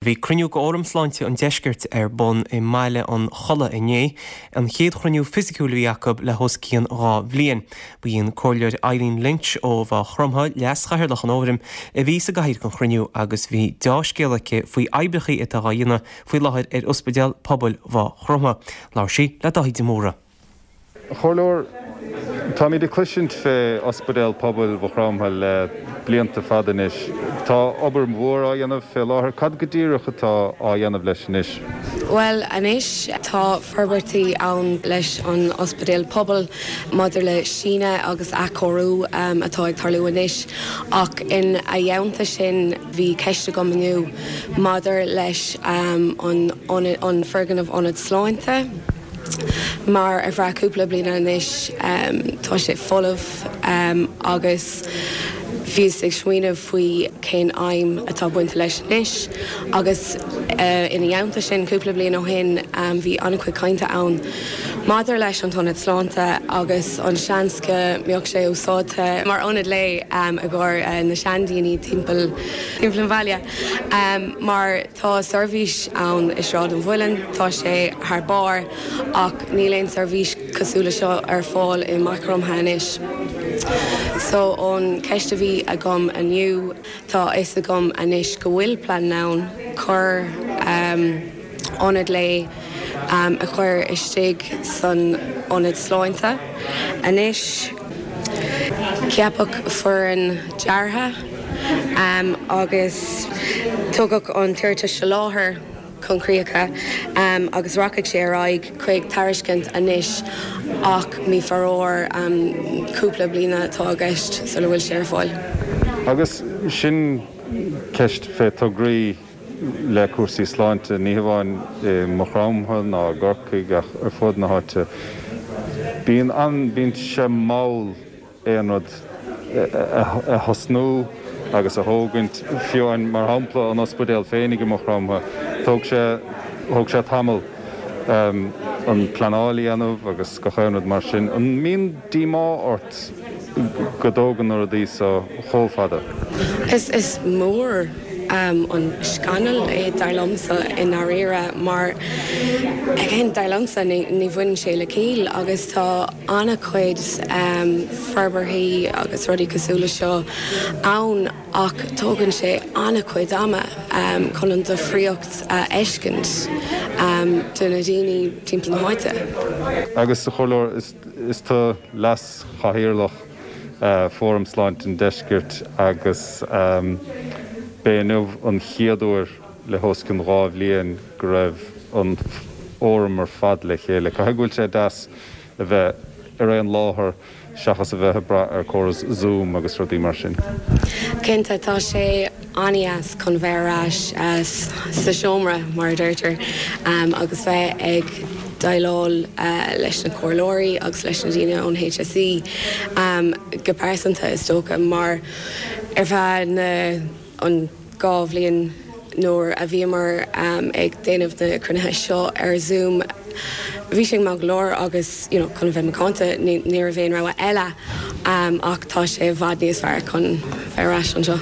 Bhí cruinniú de Fhóram Sláinte an Deiscirt ar bun i mBaile an Chollaigh inné, an chéad chruinniú fisiciúil a bhí acu le hos cionn 2 bhliain. Ba í an Comhairleoir Eileen Lynch ó Mhaigh Chromtha, leas-chathaoirleach an Fhóraim, a bhí sa gcathaoir don chruinniú agus bhí deá-scéala aici faoi oibreachaí atá á dhéanamh faoi láthair ar Ospidéal Pobail Mhaigh Chromtha. Labhair sí le Dáithí de Mórdha. A Chomhairleoir, táimid ag cloisint fé Ospidéal Pobail Mhaigh Chromtha le blianta fada anois. Tá obair mhór á dhéanamh fé láthair. Cad go díreach atá á dhéanamh leis anois? Bhuel, anois tá forbairtí ann leis an Ospidéal Pobail maidir le síneadh agus athchóiriú atá ag tarlú anois. Ach ina theannta sin bhí ceist agam inniu maidir leis an an foirgneamh Ionad Sláinte. Mar ar feadh cúpla bliana anois tá sé folamh agus bhíos ag smaoineamh faoi cén aidhm atá bainte leis anois agus ina theannta sin cúpla bliain ó shin bhí an-chuid cainte ann maidir leis an t-ionad sláinte agus an seans go mbeadh sé úsáidte mar ionad lae i gcomhair na seandaoine timpeall timpeall an bhaile mar Tá seirbhís ann i Sráid an Mhuilinn, tá sé thar barr, ach níl aon seirbhís cosúil le seo ar fáil i Maigh Chromtha anois. So an ceist a bhí agam inniu, tá a fhios agam anois go bhfuil plean ann cur ionad lae a chur istigh san ionad sláinte anois. Ceapadh foireann deartha agus tugadh an t-iarratas soláthair chun críocha agus rachaidh sé ar aghaidh chuig tairiscint anois ach mí faraor cúpla bliana atá i gceist sula bhfuil sé ar fáil. Agus sin ceist fé tograí le cúrsaí sláinte, ní hamháin i Maigh Chromtha ná i gCorcaigh ach ar fud na háite. Bíonn an, bíonn sé mall aon rud a thosnú agus a thógaint, fiú amháin mar shampla an ospidéal féinig i Maigh Chromtha, thóg sé, thóg sé tamall an pleanáil a dhéanamh agus gach aon rud mar sin. An mbíonn díomá ort go dtógann na rudaí so chomh fada? Is, is mór. an scannal é dar liomsa i ndáiríre mar again dar liomsa ní bhaineann sé le ciall agus tá an-chuid forbarthaí agus rudaí cosúil le seo ann ach tógann sé an-chuid ama chun an difríocht a fheiscint do na daoine timpeall na háite. Agus a Chomhairleoir, is tú leas-chathaoirleach Fóram Sláinte an Deiscirt agus b'é inniu an chéad uair le hos cionn 2 bhliain go raibh an Fhóram ar fad le chéile. Caithfidh go bhfuil sé deas a bheith ar aon láthair seachas a bheith ag brath ar córas Zoom agus rudaí mar sin. Cinnte, tá sé an-deas chun bheith ar ais sa seomra, mar a deirtear, agus bheith ag déileáil leis na comhairleoirí agus leis na daoine ón HSE go pearsanta, is dócha, mar ar feadh na an 2 bhliain nuair a bhíomar ag déanamh na cruinnithe seo ar Zoom, bhí sé maith go leor agus, you know, chun a bheith macánta, ní raibh aon rogha eile ach tá sé i bhfad níos fearr chun bheith ar ais anseo.